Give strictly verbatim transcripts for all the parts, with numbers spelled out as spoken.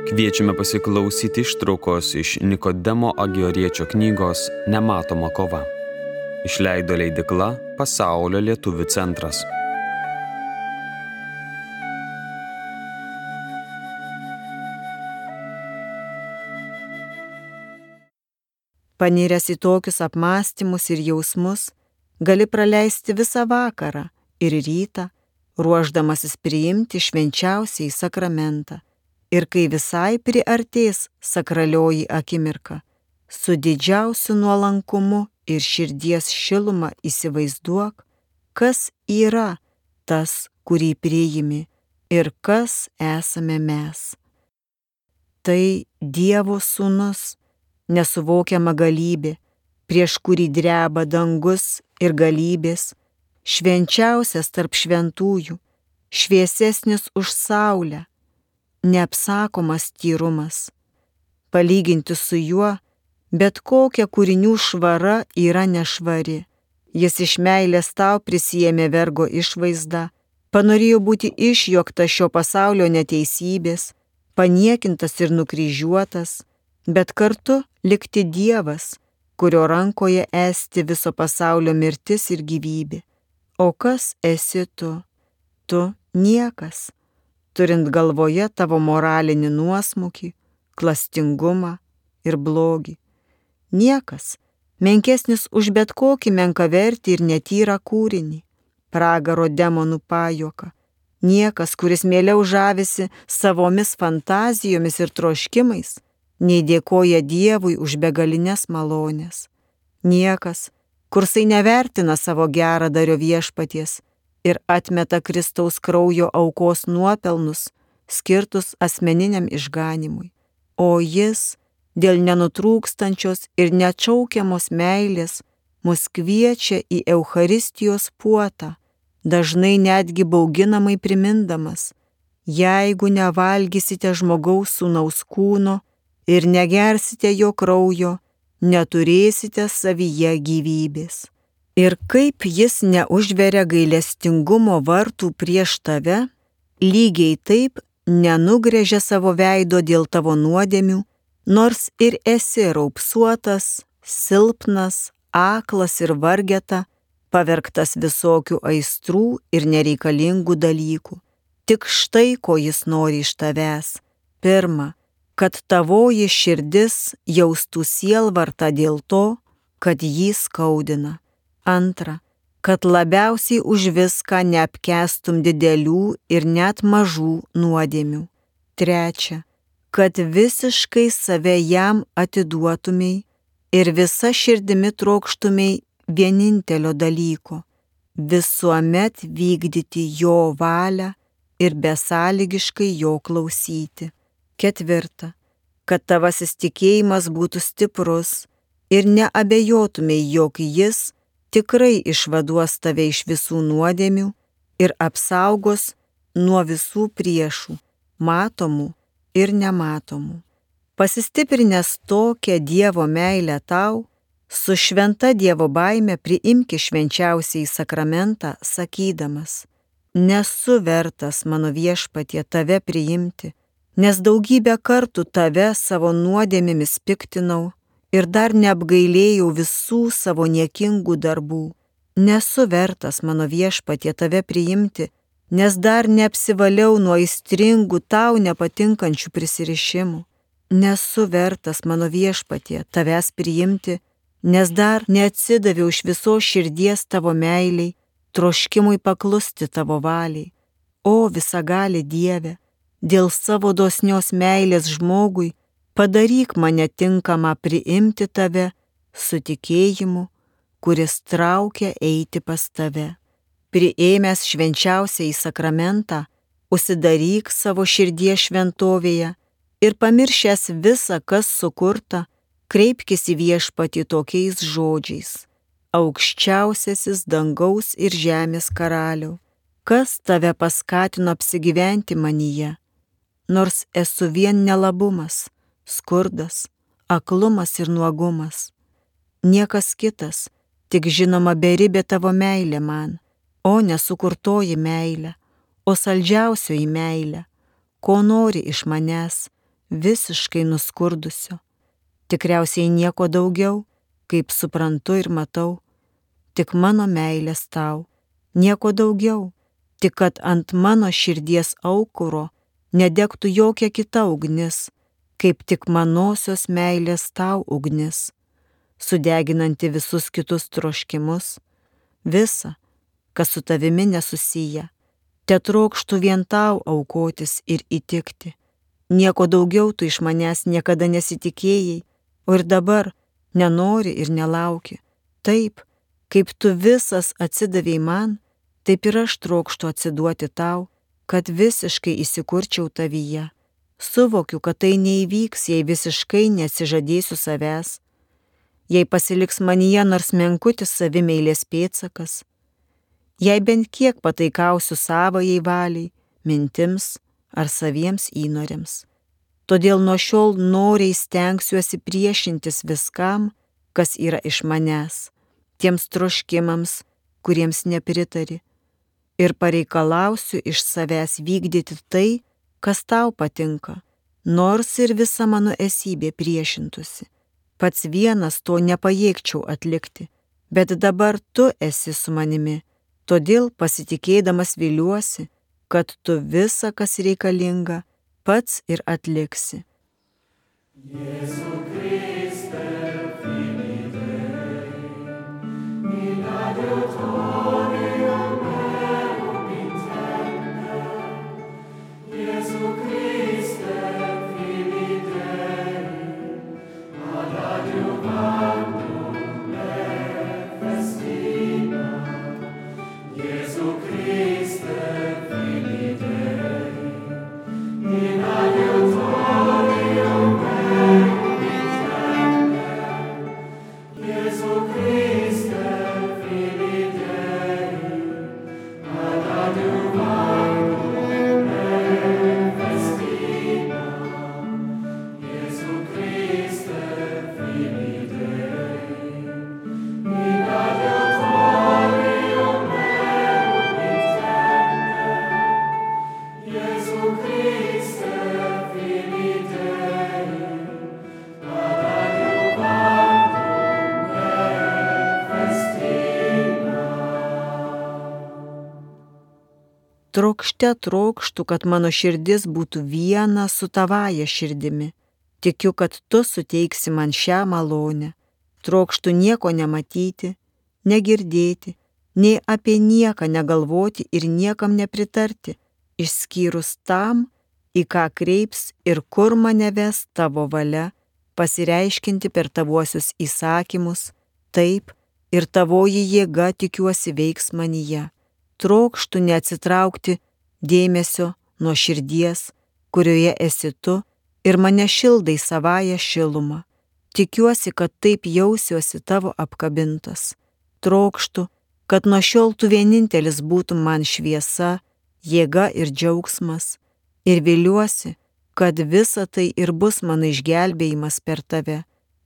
Kviečiame pasiklausyti ištraukos iš Nikodemo Agioriečio knygos Nematoma kova. Išleido leidykla Pasaulio lietuvių centras. Paniręs į tokius apmąstymus ir jausmus, gali praleisti visą vakarą ir rytą, ruošdamasis priimti švenčiausiąjį sakramentą. Ir kai visai priartės sakralioji akimirka, su didžiausiu nuolankumu ir širdies šiluma įsivaizduok, kas yra tas, kurį priimi ir kas esame mes. Tai Dievo sūnus, nesuvokiama galybė, prieš kurį dreba dangus ir galybės, švenčiausias tarp šventųjų, šviesesnis už saulę, neapsakomas tyrumas. Palyginti su juo, bet kokia kūrinių švara yra nešvari. Jis iš meilės tau prisijėmė vergo išvaizdą, panorėjo būti išjuoktas šio pasaulio neteisybės, paniekintas ir nukryžiuotas, bet kartu likti Dievas, kurio rankoje esti viso pasaulio mirtis ir gyvybė. O kas esi tu? Tu niekas, turint galvoje tavo moralinį nuosmukį, klastingumą ir blogį. Niekas, menkesnis už bet kokį menkavertį ir netyrą kūrinį, pragaro demonų pajuoką. Niekas, kuris mieliau žavisi savomis fantazijomis ir troškimais, nei dėkoja Dievui už begalines malonės. Niekas, kursai nevertina savo geradario viešpaties ir atmeta Kristaus kraujo aukos nuopelnus, skirtus asmeniniam išganimui. O jis, dėl nenutrūkstančios ir neatšaukiamos meilės, mus kviečia į Eucharistijos puotą, dažnai netgi bauginamai primindamas: jeigu nevalgysite žmogaus sūnaus kūno ir negersite jo kraujo, neturėsite savyje gyvybės. Ir kaip jis neužveria gailestingumo vartų prieš tave, lygiai taip nenugrėžia savo veido dėl tavo nuodėmių, nors ir esi raupsuotas, silpnas, aklas ir vargeta, pavergtas visokių aistrų ir nereikalingų dalykų. Tik štai ko jis nori iš tavęs. Pirma, kad tavoji širdis jaustų sielvartą dėl to, kad jį skaudina. Antra, kad labiausiai už viską neapkęstum didelių ir net mažų nuodėmių. Trečia, kad visiškai save jam atiduotumei ir visa širdimi trokštumei vienintelio dalyko – visuomet vykdyti jo valią ir besąlygiškai jo klausyti. Ketvirta, kad tavasis tikėjimas būtų stiprus ir neabejotumei, jog jis tikrai išvaduos tave iš visų nuodėmių ir apsaugos nuo visų priešų, matomų ir nematomų. Pasistiprinęs tokią Dievo meilę tau, su šventa Dievo baime priimki švenčiausiąjį sakramentą, sakydamas: nesu vertas, mano viešpatie, tave priimti, nes daugybę kartų tave savo nuodėmėmis piktinau ir dar neapgailėjau visų savo niekingų darbų. Nesu vertas, mano viešpatie, tave priimti, nes dar neapsivaliau nuo aistringų tau nepatinkančių prisirišimų. Nesu vertas, mano viešpatie, tavęs priimti, nes dar neatsidaviau iš visos širdies tavo meiliai, troškimui paklusti tavo valiai. O visagali Dieve, dėl savo dosnios meilės žmogui, padaryk mane tinkamą priimti tave su tikėjimu, kuris traukia eiti pas tave. Priėmęs švenčiausiąjį sakramentą, užsidaryk savo širdies šventovėje ir pamiršęs visą, kas sukurta, kreipkis į viešpatį tokiais žodžiais: aukščiausiasis dangaus ir žemės karaliau, kas tave paskatino apsigyventi manyje, nors esu vien nelabumas, skurdas, aklumas ir nuogumas. Niekas kitas, tik žinoma beribė tavo meilė man, o nesukurtoji meilė, o saldžiausioji meilė, ko nori iš manęs, visiškai nuskurdusio. Tikriausiai nieko daugiau, kaip suprantu ir matau, tik mano meilės tau, nieko daugiau, tik kad ant mano širdies aukuro nedegtų jokia kita ugnis, kaip tik manosios meilės tau ugnis, sudeginanti visus kitus troškimus, visa, kas su tavimi nesusiję. Tetrokštų vien tau aukotis ir įtikti. Nieko daugiau tu iš manęs niekada nesitikėjai, o ir dabar nenori ir nelauki. Taip, kaip tu visas atsidavei man, taip ir aš trokštu atsiduoti tau, kad visiškai įsikurčiau tavyje. Suvokiu, kad tai neįvyks, jei visiškai neatsižadėsiu savęs, jei pasiliks manyje nors menkutis savimeilės pėdsakas, jei bent kiek pataikausiu savajai valiai, mintims ar saviems įnoriams. Todėl nuo šiol noriai stengsiuosi priešintis viskam, kas yra iš manęs, tiems troškimams, kuriems nepritari, ir pareikalausiu iš savęs vykdyti tai, kas tau patinka, nors ir visa mano esybė priešintųsi. Pats vienas to nepajėgčiau atlikti, bet dabar tu esi su manimi, todėl pasitikėdamas viliuosi, kad tu visa, kas reikalinga, pats ir atliksi. Jėzu Kriste, Filii Dei, in adiutorium meum intende. Jėzu Kriste, Filii Dei, ad adiuvandum me festina. Jėzu Kriste, Filii Dei, in adiutorium meum intende. Jėzu Kriste, Filii Dei, ad adiuvandum me festina. Jėzu Kriste, Filii Dei, in adiutorium meum intende. Jėzu Kriste, Filii Dei, ad adiuvandum me festina. Trokšte trokštu, kad mano širdis būtų viena su tavaja širdimi. Tikiu, kad tu suteiksi man šią malonę. Trokštu nieko nematyti, negirdėti, nei apie nieką negalvoti ir niekam nepritarti, išskyrus tam, į ką kreips ir kur mane ves tavo valia, pasireiškinti per tavuosius įsakymus, taip ir tavoji jėga tikiuosi veiks manyje. Trokštu neatsitraukti dėmesio nuo širdies, kurioje esi tu ir mane šildai savąją šilumą. Tikiuosi, kad taip jausiuosi tavo apkabintas. Trokštu, kad nuo šiol tu vienintelis būtum man šviesa, jėga ir džiaugsmas, ir viliuosi, kad visa tai ir bus mano išgelbėjimas per tave.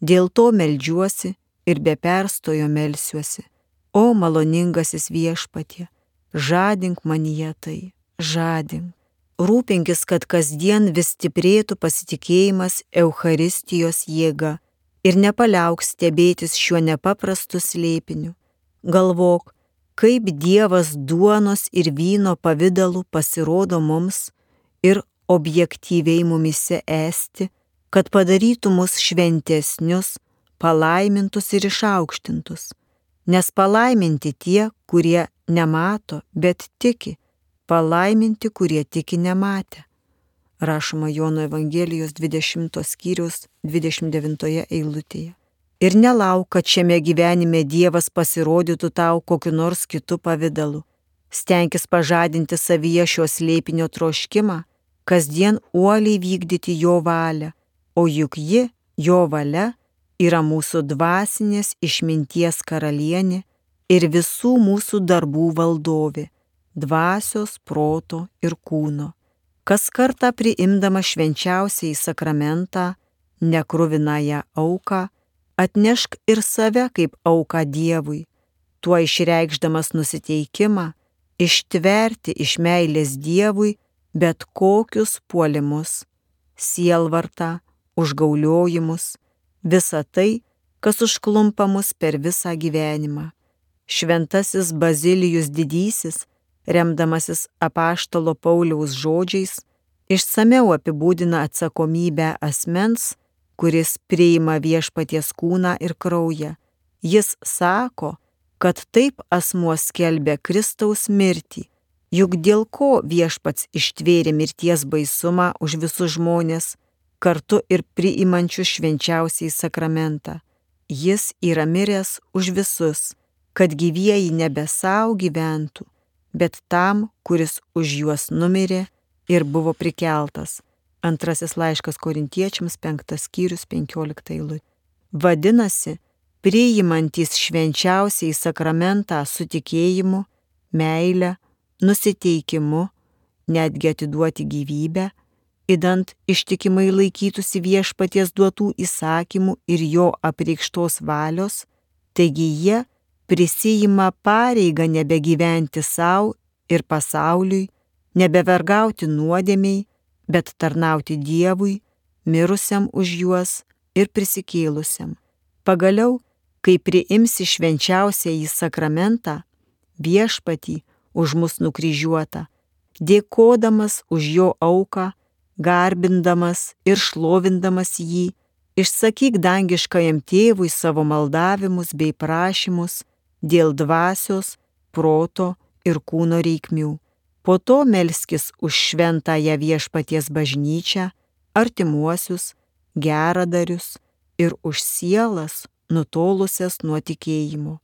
Dėl to meldžiuosi ir be perstojo melsiuosi. O maloningasis Viešpatie, žadink manyje tai, žadink. Rūpinkis, kad kasdien vis stiprėtų pasitikėjimas Eucharistijos jėga ir nepaliauk stebėtis šiuo nepaprastu slėpiniu. Galvok, kaip Dievas duonos ir vyno pavidalu pasirodo mums ir objektyviai mumise esti, kad padarytų mus šventesnius, palaimintus ir išaukštintus. Nes palaiminti tie, kurie nemato, bet tiki, palaiminti, kurie tiki nematę. Rašoma Jono Evangelijos dvidešimtos skyriaus dvidešimt devintoje eilutėje. Ir nelauk, kad šiame gyvenime Dievas pasirodytų tau kokiu nors kitu pavidalu. Stenkis pažadinti savyje šio slėpinio troškimą, kasdien uoliai vykdyti jo valią, o juk ji, jo valia, yra mūsų dvasinės išminties karalienė ir visų mūsų darbų valdovė, dvasios, proto ir kūno. Kas kartą priimdama švenčiausiąjį sakramentą, nekruvinąją auką, atnešk ir save kaip auką Dievui, tuo išreikšdamas nusiteikimą, ištverti iš meilės Dievui bet kokius puolimus. sielvartą, užgauliojimus, visa tai, kas užklumpa mus per visą gyvenimą. Šventasis Bazilijus Didysis, remdamasis apaštalo Pauliaus žodžiais, išsameu apibūdina atsakomybę asmens, kuris priima viešpaties kūną ir kraują. Jis sako, kad taip asmuo skelbia Kristaus mirtį, juk dėl ko viešpats ištvėrė mirties baisumą už visus žmonės, kartu ir priimančius švenčiausiai sakramentą. Jis yra miręs už visus, kad gyvieji nebe savo gyventų, bet tam, kuris už juos numirė ir buvo prikeltas. Antrasis laiškas Korintiečiams, penktas skyrius, penkiolikta eilutė. Vadinasi, priimantys švenčiausiai sakramentą su tikėjimu, meile, nusiteikimu, netgi atiduoti gyvybę, idant ištikimai laikytųsi viešpaties duotų įsakymų ir jo apreikštos valios, taigi jie prisijima pareigą nebegyventi savo ir pasauliui, nebevergauti nuodėmiai, bet tarnauti Dievui, mirusiam už juos ir prisikėlusiam. Pagaliau, kai priimsi švenčiausiąjį sakramentą, viešpatį už mus nukryžiuotą, dėkodamas už jo auką, garbindamas ir šlovindamas jį, išsakyk dangiškajam tėvui savo maldavimus bei prašymus dėl dvasios, proto ir kūno reikmių. Po to melskis už šventąją viešpaties bažnyčią, artimuosius, geradarius ir už sielas nutolusias nuo tikėjimo.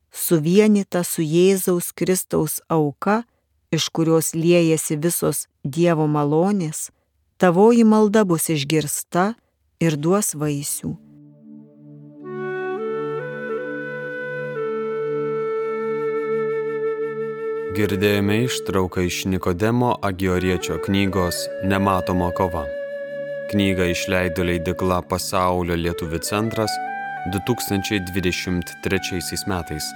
Suvienyta su Jėzaus Kristaus auka, iš kurios liejasi visos Dievo malonės, tavoji malda bus išgirsta ir duos vaisių. Girdėjome ištrauką iš Nikodemo Agioriečio knygos Nematoma kova. Knygą išleido leidykla Pasaulio lietuvių centras du tūkstančiai dvidešimt trečiaisiais metais.